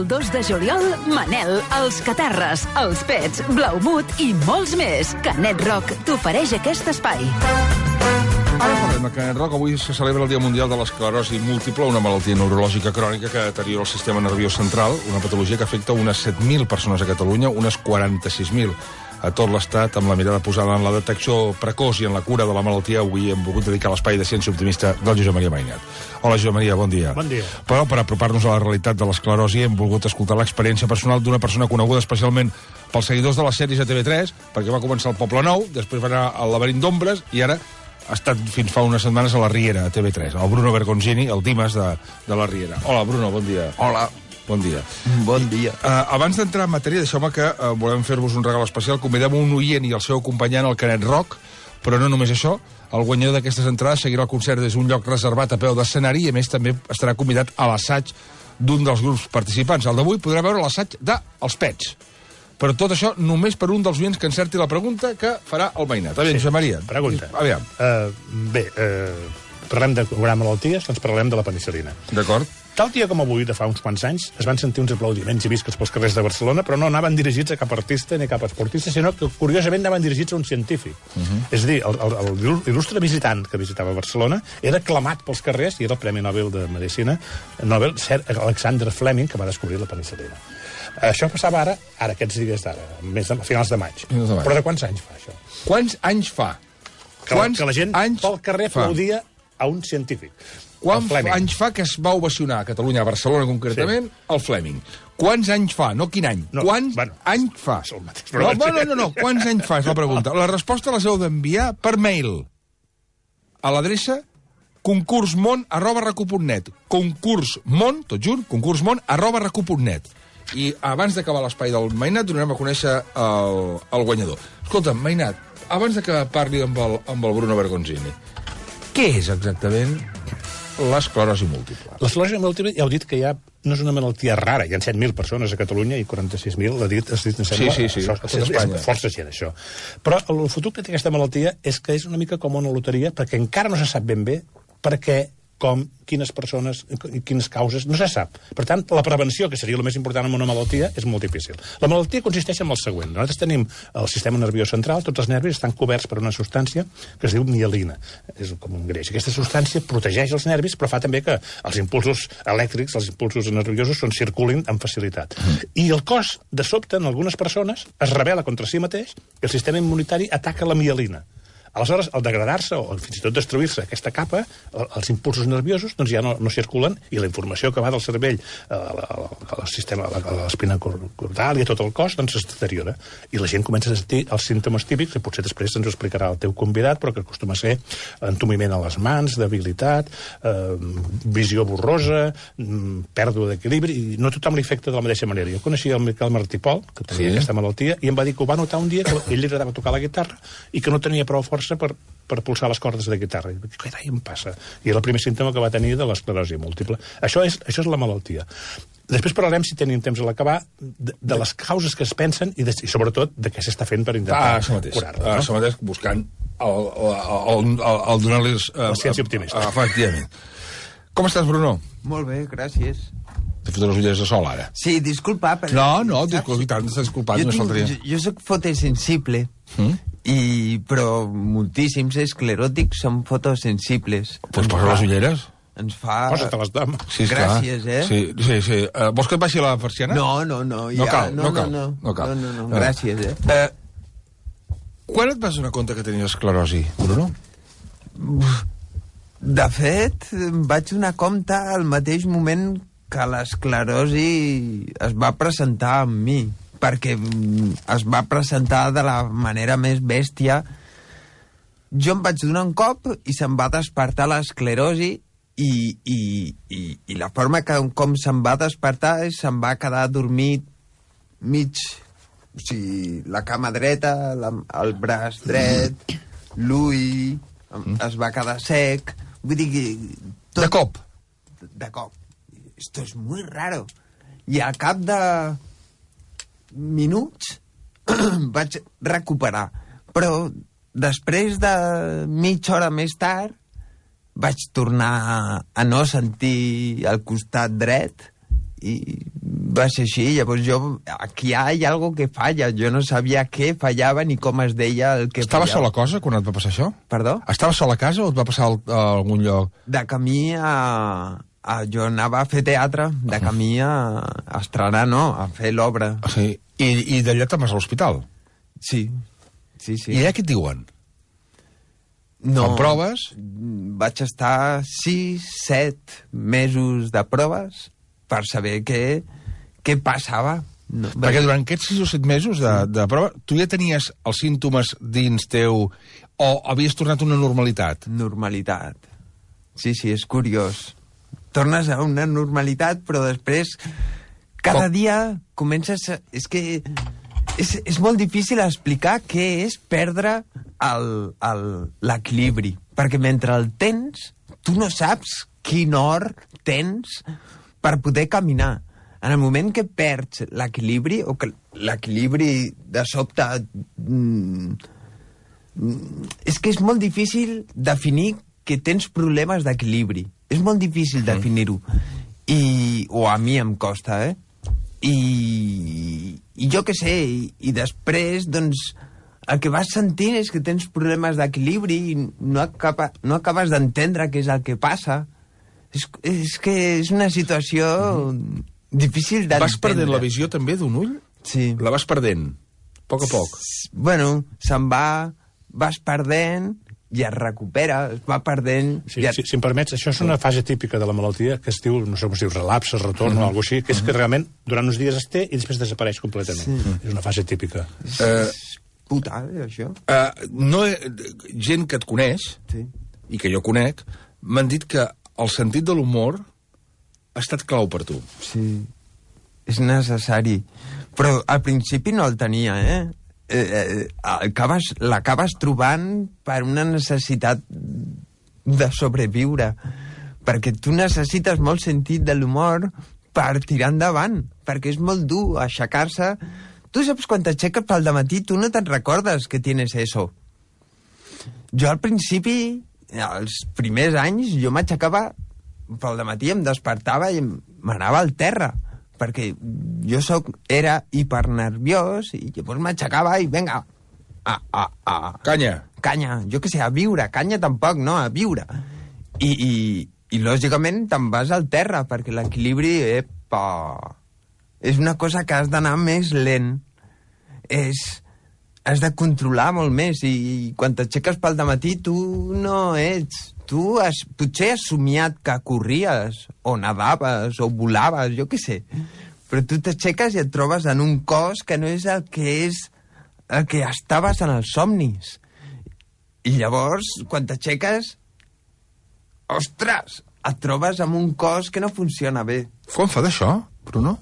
2 de juliol, Manel, els Catarres, els Pets, Blaumut i molts més. Canet Rock t'ofereix aquest espai. Ara parlem de Canet Rock. Avui se celebra el Dia Mundial de l'Esclerosi Múltiple, una malaltia neurològica crònica que deteriora el sistema nerviós central, una patologia que afecta unes 7.000 persones a Catalunya, unes 46.000 a tot l'Estat, amb la mirada posada en la detecció precoç i en la cura de la malaltia. Avui hem volgut dedicar l'espai de ciència optimista del Josep Maria Mainat. Hola, Josep Maria, bon dia. Bon dia. Però per apropar-nos a la realitat de l'esclerosi hem volgut escoltar l'experiència personal d'una persona coneguda especialment pels seguidors de les sèries a TV3, perquè va començar al Poble Nou, després va anar al Laberint d'Ombres i ara ha estat fins fa unes setmanes a la Riera, a TV3, el Bruno Bergonzini, el Dimas de la Riera. Hola, Bruno, bon dia. Hola. Bon dia. Bon dia. Abans d'entrar en matèria, deixeu-me que volem fer-vos un regal especial. Convidem un oient i el seu acompanyant al Canet Rock, però no només això. El guanyador d'aquestes entrades seguirà el concert des d'un lloc reservat a peu d'escenari i, a més, també estarà convidat a l'assaig d'un dels grups participants. El d'avui podrà veure l'assaig d'Els Pets. Però tot això només per un dels oients que encerti la pregunta que farà el Mainat. Aviam, Josep Maria. Pregunta. Aviam. Parlem de curar malalties, doncs parlem de la penicil·lina. D'acord. Tal dia com avui, de fa uns quants anys, es van sentir uns aplaudiments i visques pels carrers de Barcelona, però no anaven dirigits a cap artista ni a cap esportista, sinó que, curiosament, anaven dirigits a un científic. És a dir, l'il·lustre visitant que visitava Barcelona era aclamat pels carrers i era el Premi Nobel de Medicina, Nobel, Sir Alexander Fleming, que va descobrir la penicil·lina. Això passava ara aquests dies d'ara, a finals de maig. Però de quants anys fa, això? Quants anys fa? Que la gent pel carrer aplaudia a un científic. Quants anys fa que es va ovacionar a Catalunya, a Barcelona concretament, el Fleming? Quants anys fa? No quin any. Quants anys fa? No. Quants anys fa, és la pregunta. La resposta les heu d'enviar per mail a l'adreça concursmon@recu.net. Concursmon, tot junt, concursmon@recu.net. I abans d'acabar l'espai del Mainat donarem a conèixer el guanyador. Escolta, Mainat, abans de que parli amb el Bruno Bergonzini, què és exactament l'esclerosi múltiple? L'esclerosi múltiple, ja heu dit que no és una malaltia rara. Hi ha 7.000 persones a Catalunya i 46.000, has dit, em sembla. Sí. És força gent, això. Però el futur que té aquesta malaltia és que és una mica com una loteria, perquè encara no se sap ben bé per què, com, quines persones, quines causes, no se sap. Per tant, la prevenció, que seria el més important en una malaltia, és molt difícil. La malaltia consisteix en el següent. Nosaltres tenim el sistema nerviós central, tots els nervis estan coberts per una substància que es diu mielina. És com un greix. Aquesta substància protegeix els nervis, però fa també que els impulsos elèctrics, els impulsos nerviosos, circulin amb facilitat. I el cos, de sobte, en algunes persones, es rebel·la contra si mateix i el sistema immunitari ataca la mielina. Aleshores, al degradar-se o fins i tot destruir-se aquesta capa, els impulsos nerviosos doncs ja no circulen i la informació que va del cervell al sistema, a l'espina cordal i a tot el cos, doncs es deteriora. I la gent comença a sentir els símptomes típics, que potser després ens ho explicarà el teu convidat, però que acostuma a ser entumiment a les mans, debilitat, visió borrosa, pèrdua d'equilibri, i no tothom li afecta de la mateixa manera. Jo coneixia el Miquel Martí Pol, que tenia aquesta malaltia, i em va dir que ho va notar un dia, que ell li agradava tocar la guitarra i que no tenia prou força per pulsar les cordes de guitarra. I què carai em passa? I era el primer símptoma que va tenir de l'esclerosi múltiple. Això és la malaltia. Després parlarem, si tenim temps a l'acabar, de les causes que es pensen i sobretot de què s'està fent per intentar curar-la. Això mateix, buscant el donar-los... La ciència optimista. Efectivament. Com estàs, Bruno? Molt bé, gràcies. T'he fotut les ulleres de sol, ara. Sí, disculpa, però... No, tant, t'estàs disculpat, només faltaria. Jo soc fotosensible, però moltíssims escleròtics són fotosensibles. Doncs posa les ulleres. Ens fa... Posa-te-les, dama. Sí, gràcies, Sí. Vols que et baixi la persiana? No. No cal. No, gràcies, Quan et vas donar compte que tenies esclerosi, Bruno? De fet, em vaig donar compte al mateix moment que l'esclerosi es va presentar amb mi, perquè es va presentar de la manera més bèstia. Jo em vaig donar un cop i se'm va despertar l'esclerosi i la forma com se'm va despertar és se'm va quedar dormit mig, o sigui, la cama dreta, el braç dret, l'ull, es va quedar sec, vull dir que... De cop? De cop. Esto es muy raro. I al cap de minuts vaig recuperar. Però després de mitja hora més tard vaig tornar a no sentir el costat dret i va ser així. Llavors aquí hi ha algo que falla. Jo no sabia què fallava ni com es deia el que Estava fallava. sola a casa quan et va passar això? Perdó? Estava sola a casa o et va passar a algun lloc? De camí jo anava a fer teatre, de camí a estrenar, no, a fer l'obra. Sí. I d'allà te'n vas a l'hospital? Sí. I allà què et diuen? No, Fan proves? vaig estar 6-7 mesos de proves per saber què passava. No, Perquè durant aquests 6 o 7 mesos de prova, tu ja tenies els símptomes dins teu o havies tornat a una normalitat? Normalitat. Sí, és curiós. Tornes a una normalitat, però després cada dia comences... És que és molt difícil explicar què és perdre l'equilibri, perquè mentre el tens, tu no saps quin or tens per poder caminar. En el moment que perds l'equilibri, o que l'equilibri de sobte... és que és molt difícil definir que tens problemes d'equilibri. És molt difícil definir-ho. O a mi em costa, I jo què sé, i després, doncs, el que vas sentint és que tens problemes d'equilibri i no acabes d'entendre què és el que passa. És que és una situació difícil d'entendre. Vas perdent la visió també d'un ull? Sí. La vas perdent, a poc a poc. Bueno, vas perdent i es recupera, es va perdent... Si em permets, això és una fase típica de la malaltia que es diu, no sé com es diu, relapse, retorn o alguna així, que és que realment durant uns dies es té i després desapareix completament. És una fase típica. Puta, això. Gent que et coneix, i que jo conec, m'han dit que el sentit de l'humor ha estat clau per tu. Sí, és necessari. Però al principi no el tenia, l'acabes trobant per una necessitat de sobreviure, perquè tu necessites molt sentit de l'humor per tirar endavant, perquè és molt dur aixecar-se. Tu saps quan t'aixeques pel dematí, tu no te'n recordes que tienes eso. Jo al principi, els primers anys, jo m'aixecava pel dematí, em despertava i m'anava al terra, perquè jo era hipernerviós i llavors m'aixecava i vinga, Canya, jo què sé, a viure, canya tampoc, no, a viure. I lògicament te'n vas al terra, perquè l'equilibri, és una cosa que has d'anar més lent. Has de controlar molt més, i quan t'aixeques pel dematí tu no ets... Tu potser has somiat que corries, o nadaves, o volaves, jo què sé. Però tu t'aixeques i et trobes en un cos que no és el que estaves en els somnis. I llavors, quan t'aixeques, ostres, et trobes amb un cos que no funciona bé. Quan fa d'això, Bruno?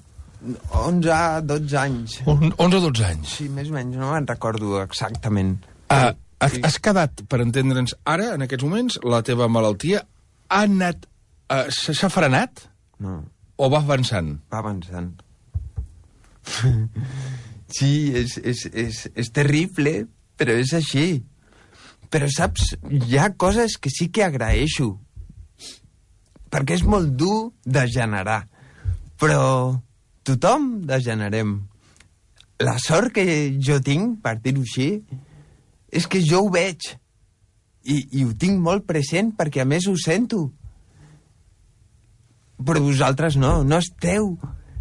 11, 12 anys. 11 o 12 anys. Sí, més o menys, no me'n recordo exactament. Has quedat, per entendre'ns, ara, en aquests moments, la teva malaltia ha anat... s'ha frenat? No. O va avançant? Va avançant. Sí, és terrible, però és així. Però saps, hi ha coses que sí que agraeixo, perquè és molt dur de generar. Però tothom degenerem. La sort que jo tinc, per dir-ho així, és que jo ho veig i ho tinc molt present perquè a més ho sento. Però vosaltres no esteu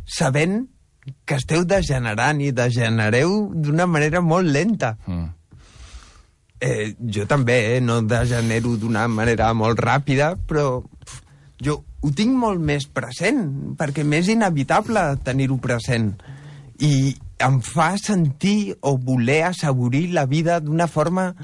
sabent que esteu degenerant i degenereu d'una manera molt lenta. Jo també no degenero d'una manera molt ràpida, però jo ho tinc molt més present, perquè m'és inevitable tenir-ho present. I em fa sentir o voler assaborir la vida d'una forma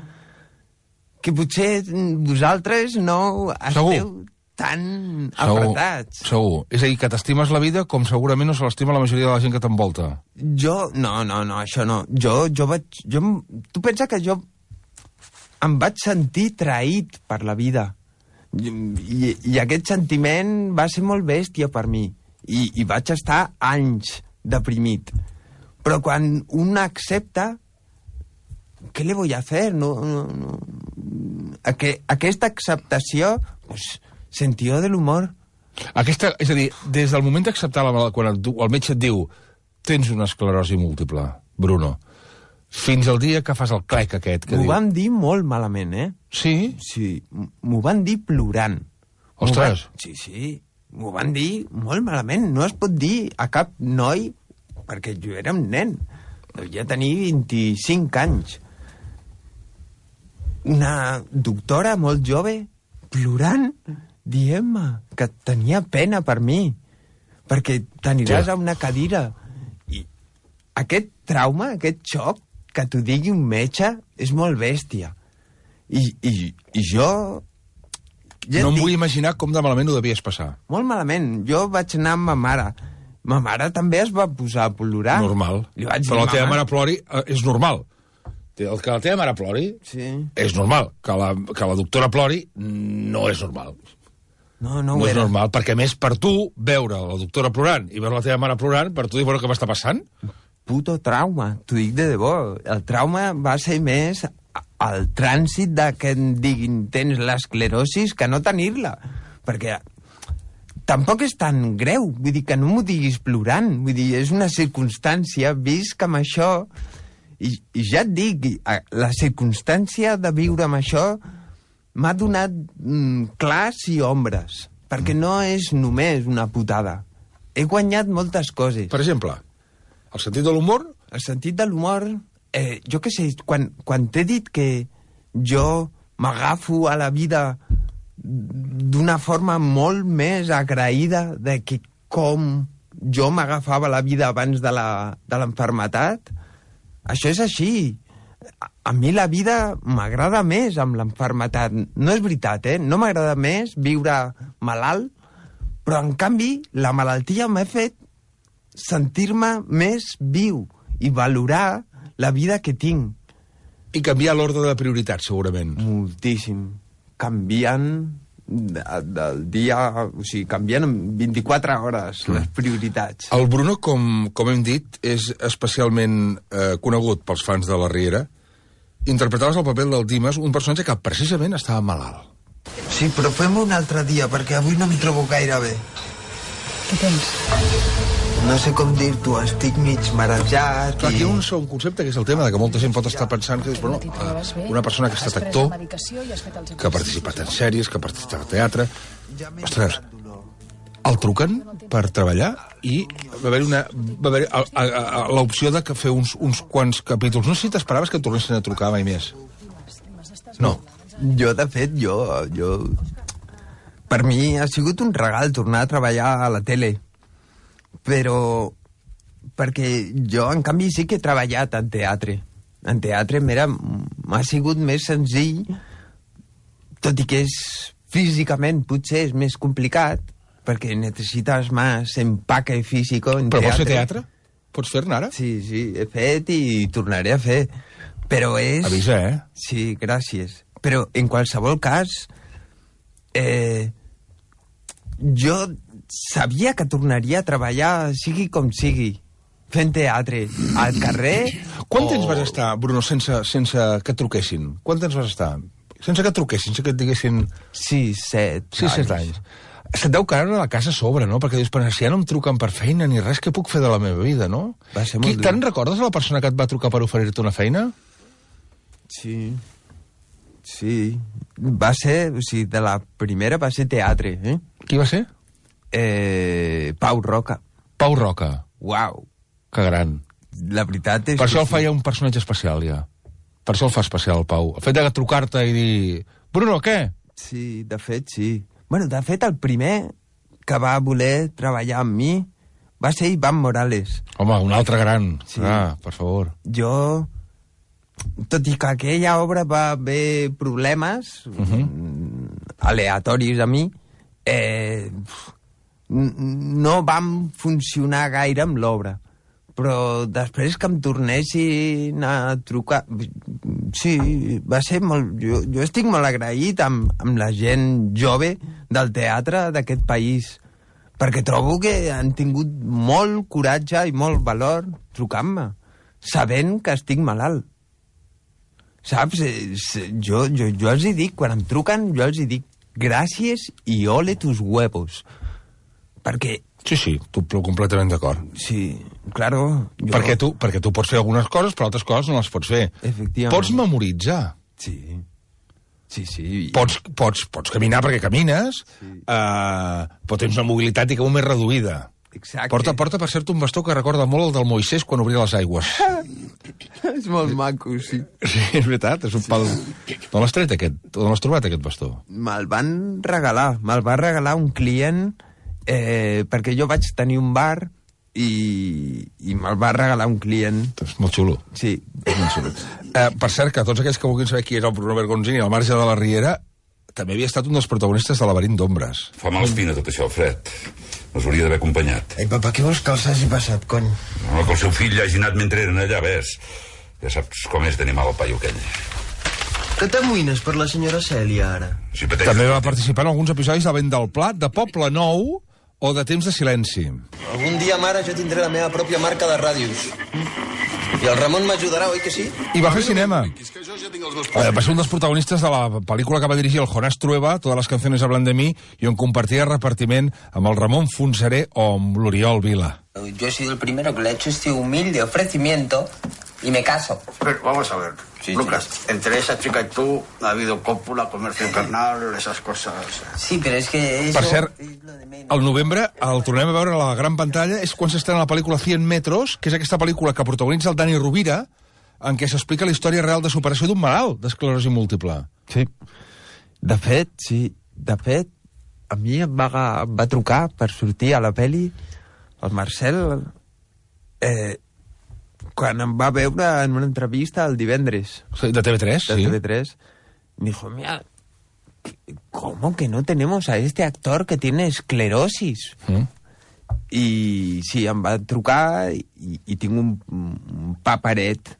que potser vosaltres no esteu tan apretats. Segur. És a dir, que t'estimes la vida com segurament no se l'estima la majoria de la gent que t'envolta. Jo, no, això no. Tu pensa que jo em vaig sentir traït per la vida. I aquest sentiment va ser molt bèstia per mi. I vaig estar anys deprimit. Però quan un accepta, ¿qué le voy a hacer? Aquesta acceptació, pues, sentido del humor. És a dir, des del moment d'acceptar la malaltia, quan el metge et diu tens una esclerosi múltiple, Bruno, fins al dia que fas el clec aquest que M'ho diu... van dir molt malament, eh? Sí? Sí, m'ho van dir plorant. Ostres! Sí, m'ho van dir molt malament. No es pot dir a cap noi, perquè jo era un nen. Devia tenir 25 anys. Una doctora molt jove plorant, dient-me que tenia pena per mi, perquè t'aniràs a una cadira. I aquest trauma, aquest xoc, que t'ho digui un metge, és molt bèstia. I jo... No em vull imaginar com de malament ho devies passar. Molt malament. Jo vaig anar amb ma mare. Ma mare també es va posar a plorar. Normal. Però la teva mare plori és normal. El que la teva mare plori és normal. Que la doctora plori no és normal. No és normal, perquè a més per tu veure la doctora plorant i veure la teva mare plorant, per tu dir, bueno, què m'està passant? Puto trauma, t'ho dic de debò. El trauma va ser més el trànsit de que em diguin tens l'esclerosis que no tenir-la. Perquè tampoc és tan greu, vull dir que no m'ho diguis plorant, vull dir, és una circumstància, visc amb això, i ja et dic, la circumstància de viure amb això m'ha donat clars i ombres, perquè no és només una putada. He guanyat moltes coses. Per exemple, el sentit de l'humor? El sentit de l'humor, jo què sé, quan t'he dit que jo m'agafo a la vida d'una forma molt més agraïda de que com jo m'agafava la vida abans de l'enfermetat, això és així. A mi la vida m'agrada més amb l'enfermetat. No és veritat, no m'agrada més viure malalt, però en canvi la malaltia m'ha fet sentir-me més viu i valorar la vida que tinc. I canviar l'ordre de prioritats, segurament. Moltíssim. Canviant del dia... O sigui, canviant en 24 hores les prioritats. El Bruno, com hem dit, és especialment conegut pels fans de la Riera. Interpretaves el paper del Dimas, un personatge que precisament estava malalt. Sí, però fem-ho un altre dia, perquè avui no em trobo gaire bé. Què tens? No sé com dir-t'ho, estic mig marejat. Clar, aquí hi ha un segon concepte, que és el tema de que molta gent pot estar pensant que bueno, una persona que ha estat actor, que ha participat en sèries, que ha participat en teatre... Ostres, el truquen per treballar i va haver l'opció de fer uns quants capítols. No sé si t'esperaves que et tornessin a trucar mai més. No. Jo, de fet, per mi ha sigut un regal tornar a treballar a la tele. Però perquè jo, en canvi, sí que he treballat en teatre. En teatre m'ha sigut més senzill, tot i que físicament potser és més complicat, perquè necessites més empaque físic en teatre. Però vols fer teatre? Pots fer-ne ara? Sí, he fet i tornaré a fer. Però és... Avisa, Sí, gràcies. Però, en qualsevol cas, jo sabia que tornaria a treballar, sigui com sigui, fent teatre, al carrer... Quant temps vas estar, Bruno, sense que et truquessin? Quant temps vas estar? Sense que et truquessin, sense que et diguessin... 6-7 anys. Se't deu caure a la casa a sobre, no? Perquè dius, però si ja no em truquen per feina ni res, què puc fer de la meva vida, no? Va ser molt dur. Te'n recordes la persona que et va trucar per oferir-te una feina? Sí. Va ser, o sigui, de la primera va ser teatre, Qui va ser? Pau Roca. Pau Roca. Uau. Que gran. La veritat és per això el feia un personatge especial, ja. Per això el fa especial, el Pau. El fet de trucar-te i dir... Bruno, què? Sí, de fet, sí. Bueno, de fet, el primer que va voler treballar amb mi va ser Iván Morales. Home, un altre gran. Sí. Per favor. Jo, tot i que aquella obra va haver problemes aleatoris a mi, no vam funcionar gaire amb l'obra. Però després que em tornessin a trucar... Sí, va ser molt... Jo estic molt agraït amb la gent jove del teatre d'aquest país, perquè trobo que han tingut molt coratge i molt valor trucant-me, sabent que estic malalt. Saps? Jo els hi dic, quan em truquen, jo els hi dic gràcies i ole tus huevos. perquè... Sí, tu completament d'acord. Sí, claro. Perquè tu pots fer algunes coses, però altres coses no les pots fer. Efectivament. Pots memoritzar. Sí. Pots caminar perquè camines, però tens una mobilitat, diguem, més reduïda. Exacte. Porta, per cert, un bastó que recorda molt el del Moisès quan obria les aigües. És molt maco, sí. Sí, és veritat, és un pal... No l'has tret, aquest? On l'has trobat, aquest bastó? Me'l va regalar un client perquè jo vaig tenir un bar i me'l va regalar un client. És molt xulo. Sí. És molt xulo. Per cert, que tots aquells que vulguin saber qui és el Bruno Bergonzini al marge de la Riera, també havia estat un dels protagonistes de Laberint d'ombres. Fa mal espina tot això, Fred. Els hauria d'haver acompanyat. Ei, papa, què vols que els hagi passat, cony? No, que el seu fill hagi anat mentre eren allà, ves. Ja saps com és d'animar el paio aquell. Que t'amoïnes per la senyora Cèlia, ara? Si pateixes... També va participar en alguns episodis de Vent del Plat, de Poble Nou o de Temps de Silenci. Algun dia, mare, jo tindré la meva pròpia marca de ràdios. I el Ramon m'ajudarà, oi que sí? I va fer cinema. Va ser un dels protagonistes de la pel·lícula que va dirigir el Jonás Trueba, Todas las canciones hablan de mí, i on compartia repartiment amb el Ramon Fonseré o amb l'Oriol Vila. Yo he sido el primero que le he hecho este humilde ofrecimiento y me caso. Pero vamos a ver, Sí, Lucas, entre esa chica y tú ha habido cópula, comercio carnal, esas cosas. Sí, pero es que eso... Per cert, es lo de menos. al novembre el tornem a veure a la gran pantalla, és quan s'estrena la pel·lícula 100 metros, que és aquesta pel·lícula que protagonitza el Dani Rovira, en què s'explica la història real de superació d'un malalt d'esclerosi múltiple. Sí. De fet, a mi em va trucar per sortir a la peli el Marcel quan em va veure en una entrevista el divendres. Sí, de TV3, De sí. TV3. Me dijo, mira, ¿cómo que no tenemos a este actor que tiene esclerosis? I sí, em va trucar i tinc un paperet.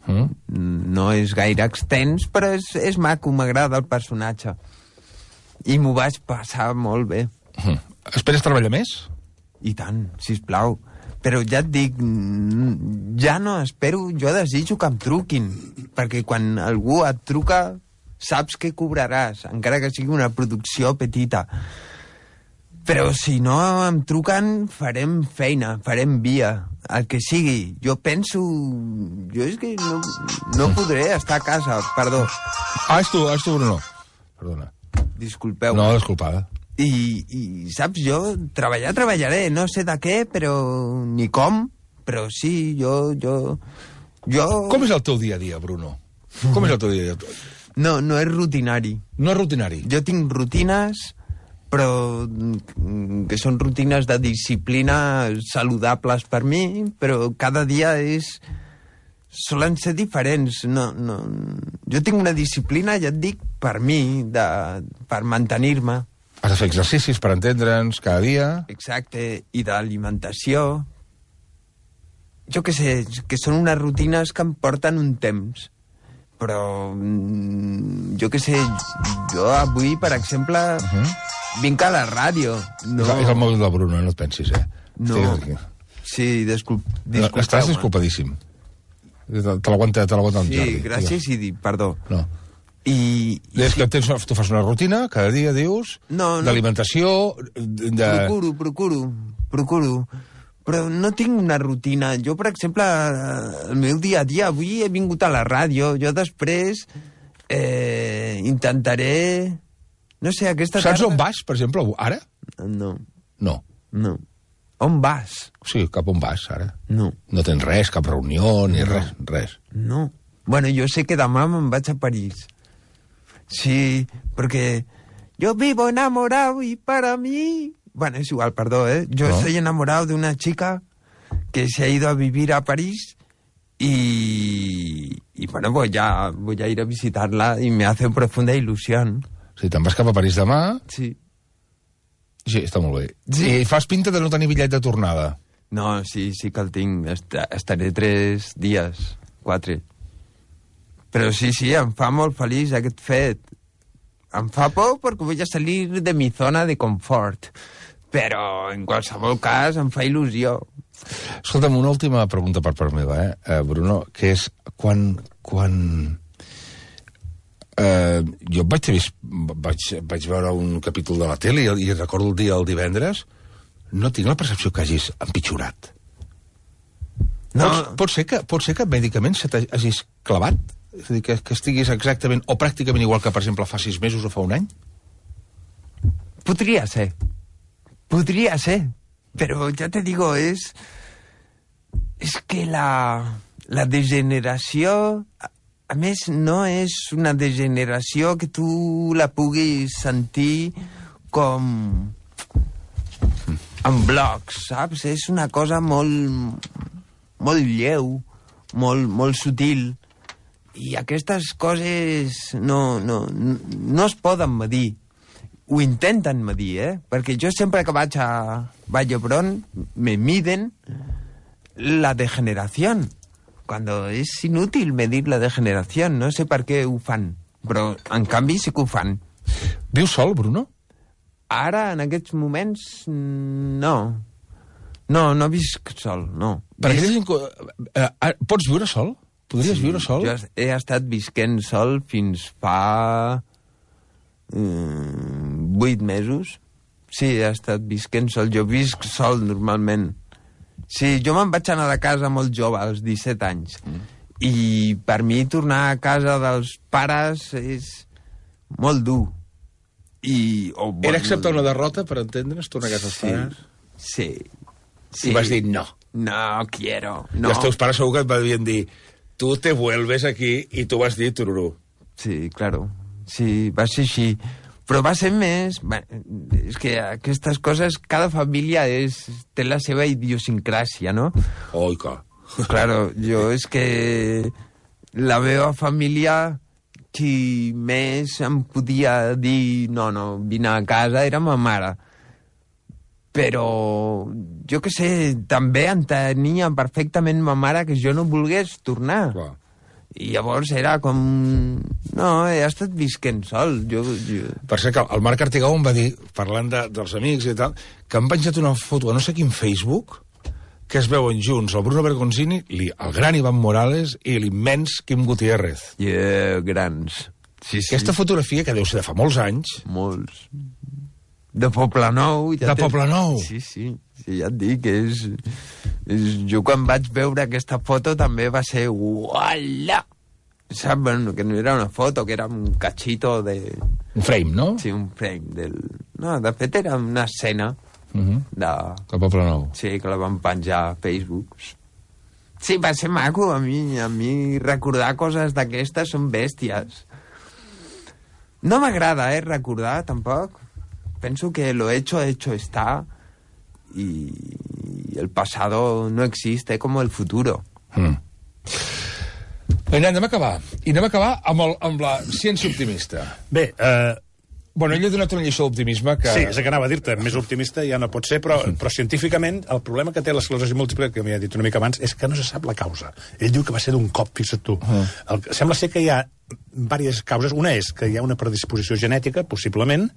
No és gaire extens, però és maco, m'agrada el personatge. I m'ho vaig passar molt bé. Esperes treballar més? I tant, sisplau. Però ja et dic, ja no espero, jo desitjo que em truquin, perquè quan algú et truca saps que cobraràs, encara que sigui una producció petita. Però si no em truquen, farem feina, farem via, el que sigui. Jo penso... Jo és que no podré estar a casa, perdó. És tu, Bruno. Perdona. Disculpeu. No, disculpada. I saps, jo treballaré, no sé de què, però ni com, però sí, jo... Com és el teu dia a dia, Bruno? Com és el teu dia a dia? No és rutinari. No és rutinari? Jo tinc rutines, però que són rutines de disciplina saludables per mi, però cada dia solen ser diferents. No. Jo tinc una disciplina, ja et dic, per mi, per mantenir-me. Has de fer exercicis per entendre'ns cada dia. Exacte, i d'alimentació. Jo què sé, que són unes rutines que em porten un temps. Però, jo què sé, jo avui, per exemple, vinc a la ràdio. No. És el mòbil del Bruno, no et pensis, No. Sí, disculpeu. Estàs disculpadíssim. Te l'aguanta el Jordi. Sí, gràcies i perdó. No. Des que tu fas una rutina, cada dia dius, d'alimentació... Procuro. Però no tinc una rutina. Jo, per exemple, el meu dia a dia, avui he vingut a la ràdio, jo després intentaré... No sé, aquesta tarda... Saps on vas, per exemple, ara? No. No. On vas? Sí, cap on vas, ara. No. No tens res, cap reunió, ni res. No. Bueno, jo sé que demà me'n vaig a París. Sí, porque yo vivo enamorado y para mí... Bueno, es igual, perdón, Yo estoy enamorado de una chica que se ha ido a vivir a París y bueno, pues ya voy a ir a visitarla y me hace profunda ilusión. Sí, te'n vas cap a París demà? Sí. Sí, està molt bé. Sí. I fas pinta de no tenir bitllet de tornada? No, sí que el tinc. Estaré 3 dies, 4. Però sí, em fa molt feliç aquest fet. Em fa por perquè vull salir de mi zona de confort. Però, en qualsevol cas, em fa il·lusió. Escolta'm, una última pregunta per part meva, Bruno, que és quan... jo vaig veure un capítol de la tele i recordo el dia del divendres, no tinc la percepció que hagis empitjorat. No. Pot ser que medicament se t'hagis clavat? És a dir, que estiguis exactament o pràcticament igual que, per exemple, fa 6 mesos o fa un any? Podria ser, pero ya te digo, es que la degeneració, a més, no és una degeneració que tu la puguis sentir com en blocs, saps? És una cosa molt lleu, molt sutil, i aquestes coses no es poden medir. Ho intenten medir, perquè jo sempre que vaig a Vall d'Hebron me miden la degeneració, cuando és inútil medir la degeneració, no sé per què ho fan, però en canvi sí que ho fan. Vius sol, Bruno? Ara, en aquests moments, no. No visc sol, no. Pots viure sol? Podries viure sol? Jo he estat visquent sol fins fa 8 mesos. Sí, he estat visquent sol. Jo visc sol normalment. Sí, jo me'n vaig anar de casa molt jove, als 17 anys. I per mi tornar a casa dels pares és molt dur. Era acceptar una derrota, per entendre's, tornar a casa dels pares? Sí. I vas dir no. No quiero, no. I els teus pares segur que et van dir tu te vuelves aquí, i tu vas dir tururú. Sí, claro. Sí, va ser així. Però va ser més... És que aquestes coses, cada família té la seva idiosincràsia, no? Oi, que... Claro, jo és que la meva família, qui més em podia dir no, vine a casa, era ma mare. Però, jo que sé, també entenia perfectament ma mare que jo no volgués tornar. Clar. I llavors era com... No, he estat visquent sol. Per ser que el Marc Artigau em va dir, parlant dels amics i tal, que han penjat una foto a no sé quin Facebook, que es veuen junts el Bruno Bergonzini, el gran Iván Morales i l'immens Quim Gutiérrez. Grans. Sí. Aquesta fotografia, que deu ser de fa molts anys... Molts. De Poblenou. De Poblenou. Sí, ja et dic, jo quan vaig veure aquesta foto també va ser uala! Saps? Bueno, que no era una foto, que era un cachito de... Un frame, no? Sí, un frame No, de fet era una escena de Poblenou. Sí, que la van penjar a Facebook. Sí, va ser maco. A mi recordar coses d'aquestes són bèsties. No m'agrada, recordar, tampoc. Penso que lo hecho está y el pasado no existe como el futuro. Anem a acabar. I anem a acabar amb la ciència optimista. Bé, Bueno, ell ha donat una lliçó d'optimisme que... Sí, és que anava a dir-te, més optimista ja no pot ser, però científicament el problema que té l'esclerosi múltiple, que m'hi ha dit una mica abans, és que no se sap la causa. Ell diu que va ser d'un cop, fixa't tu. Sembla ser que hi ha diverses causes. Una és que hi ha una predisposició genètica, possiblement,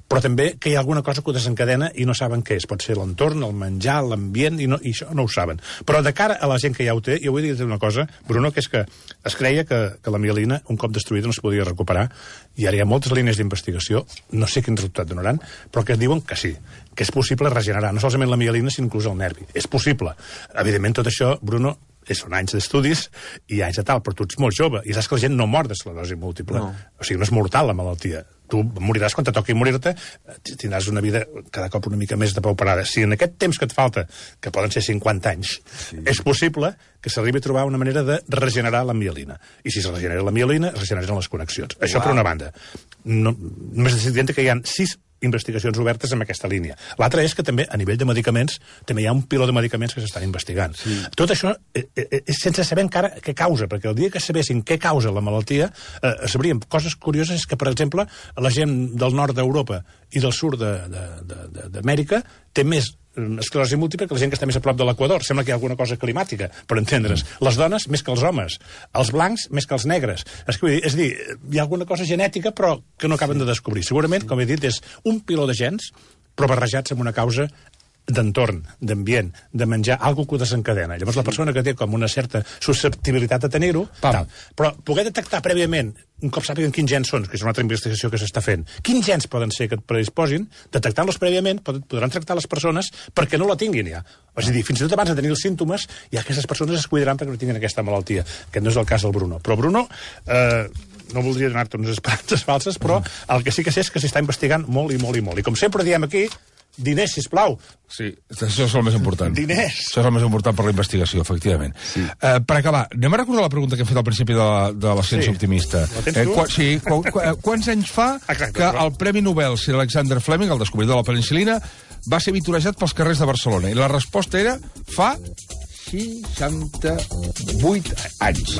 però també que hi ha alguna cosa que ho desencadena i no saben què és. Pot ser l'entorn, el menjar, l'ambient, i això no ho saben. Però de cara a la gent que ja ho té, jo vull dir-te una cosa, Bruno, que és que es creia que la mielina, un cop destruïda, no es podia recuperar, i ara hi ha moltes línies d'investigació, no sé quin resultat donaran, però que diuen que sí, que és possible regenerar, no solament la mielina, sinó inclús el nervi. És possible. Evidentment, tot això, Bruno, són anys d'estudis i anys de tal, però tu ets molt jove, i saps que la gent no mor d'esclerosi múltiple. No. O sigui, no és mortal, la malaltia. Tu moriràs quan te toqui morir-te, tindràs una vida cada cop una mica més depauperada. Si en aquest temps que et falta, que poden ser 50 anys, és possible que s'arribi a trobar una manera de regenerar la mielina. I si es regenera la mielina, es regeneren les connexions. Això per una banda. Només és evident que hi ha 6 investigacions obertes en aquesta línia. L'altra és que també, a nivell de medicaments, també hi ha un piló de medicaments que s'estan investigant. Sí. Tot això és sense saber encara què causa, perquè el dia que sabessin què causa la malaltia, sabríem coses curioses, que, per exemple, la gent del nord d'Europa i del sud d'Amèrica té més esclerosi múltiple que la gent que està més a prop de l'Equador. Sembla que hi ha alguna cosa climàtica, per entendre's. Les dones més que els homes, els blancs més que els negres. És a dir, hi ha alguna cosa genètica però que no acaben de descobrir. Segurament, com he dit, és un piló de gens però barrejats amb una causa d'entorn, d'ambient, de menjar, algo que ho desencadena. Llavors la persona que té com una certa susceptibilitat a tenir-ho, però poder detectar prèviament, un cop sàpiguen quins gens són, que és una altra investigació que s'està fent, quins gens poden ser que et predisposin, detectant-los prèviament podran tractar les persones perquè no la tinguin ja. És a dir, fins i tot abans de tenir els símptomes, ja aquestes persones es cuidaran perquè no tinguin aquesta malaltia, que no és el cas del Bruno. Però Bruno... no voldria donar-te unes esperances falses, però el que sí que sé és que s'està investigant molt i molt i molt. I com sempre diem aquí, diners, sisplau. Sí, això és el més important. Diners. Això és el més important per la investigació, efectivament. Sí. Per acabar, anem a recordar la pregunta que hem fet al principi de la Ciència Optimista. La tens tu? Quants anys fa que el Premi Nobel Sir Alexander Fleming, el descobridor de la penicil·lina, va ser vitorejat pels carrers de Barcelona? I la resposta era fa 68 anys.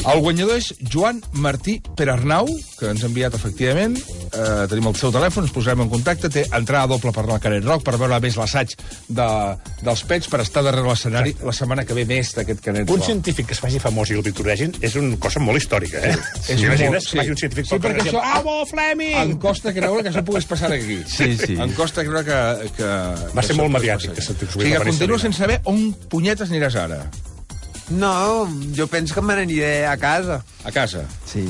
El guanyador és Joan Martí Perarnau, que ens ha enviat, efectivament. Tenim el seu telèfon, ens posarem en contacte. Té entrada doble per anar al Canet Rock, per veure més l'assaig dels pets, per estar darrere l'escenari la setmana que ve més d'aquest Canet Rock. Un científic que es faci famós i el vitoregin és una cosa molt històrica, eh? És Imagines molt, que faci un científic sí, perquè això... Bravo, Fleming! Em costa creure que això pogués passar aquí. Sí, sí. Em costa creure que Va ser molt mediàtic. O sigui, que continues sense saber on punyetes aniràs ara. No, jo penso que me n'aniré a casa. A casa. Sí,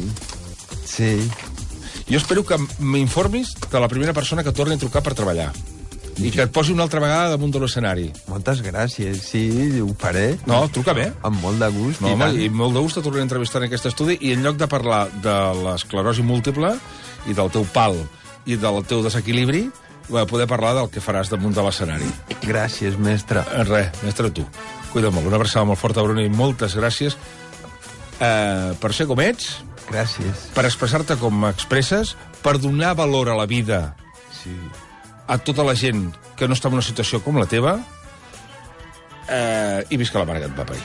sí. Jo espero que m'informis de la primera persona que torni a trucar per treballar. I que et posi una altra vegada damunt de l'escenari. Moltes gràcies, sí, ho faré. No, truca bé. Amb molt de gust. No, home, i molt de gust et tornaré a entrevistar en aquest estudi, i en lloc de parlar de l'esclerosi múltiple i del teu pal i del teu desequilibri, poder parlar del que faràs damunt de l'escenari. Gràcies, mestre. Res, mestre, tu. Cuida molt. Una abraçada molt forta, Bruno, i moltes gràcies per ser com ets, Gràcies. per expressar-te com expresses, per donar valor a la vida Sí. a tota la gent que no està en una situació com la teva, i visca la mare que et va parir.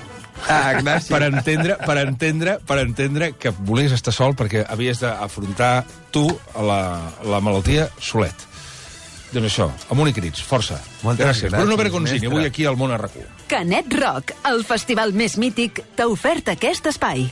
Gràcies. Per entendre que volies estar sol perquè havies d'afrontar tu la malaltia solet. Doncs això, amunt i crits, força. Moltes gràcies. Bruno gràcies, Bergoncini, mestre. avui aquí al Món a RAC1. Canet Rock, el festival més mític, t'ha ofert aquest espai.